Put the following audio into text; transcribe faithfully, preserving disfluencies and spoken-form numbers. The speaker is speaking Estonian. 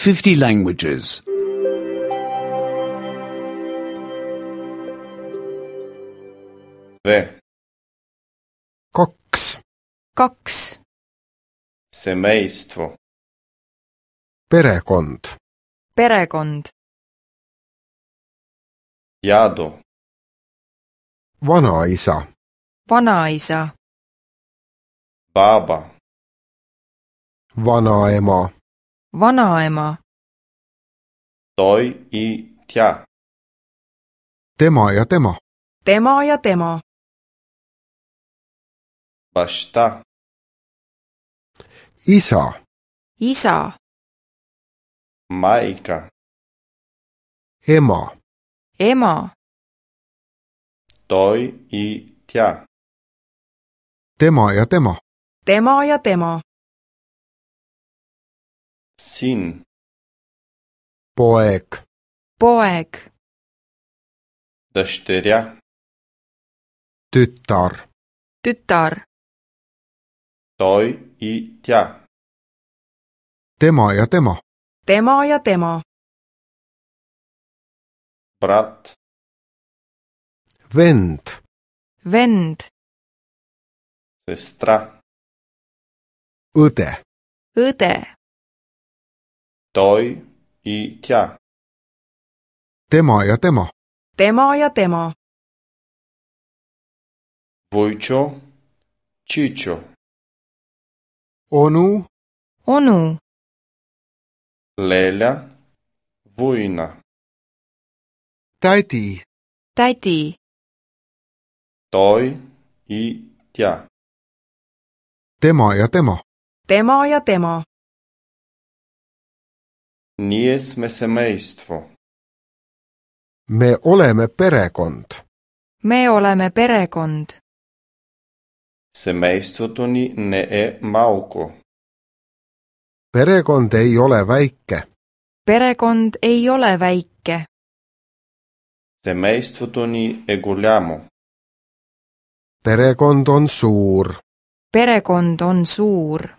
fifty languages. Dve. Kaks. Kaks. Semeistvo. Perekond. Perekond. Djado. Vanaisa. Vanaisa. Baba. Vanaema. Vanaema. Той и тя. Tema ja tema. Tema ja tema. Баща. Isa. Isa. Майка. Ema. Ema. Той и тя. Tema ja tema. Tema ja tema. Син. Poeg. Poeg. Дъщеря. Tütar. Tütar. Той и тя. Tema ja tema. Tema ja tema. Брат. Vend. Vend. Сестра. Õde. Õde. Той и тя. Tema ja tema. Tema ja tema. Войчо. Чичо. Onu. Onu. Леля. Война. Tädi. Tädi. Той и тя. Tema ja tema. Tema ja tema. Ние сме семейство. Me oleme perekond. Me oleme perekond. Семейството ни не е малко. Perekond ei ole väike. Perekond ei ole väike. Семейството ни е голямо. Perekond on suur. Perekond on suur.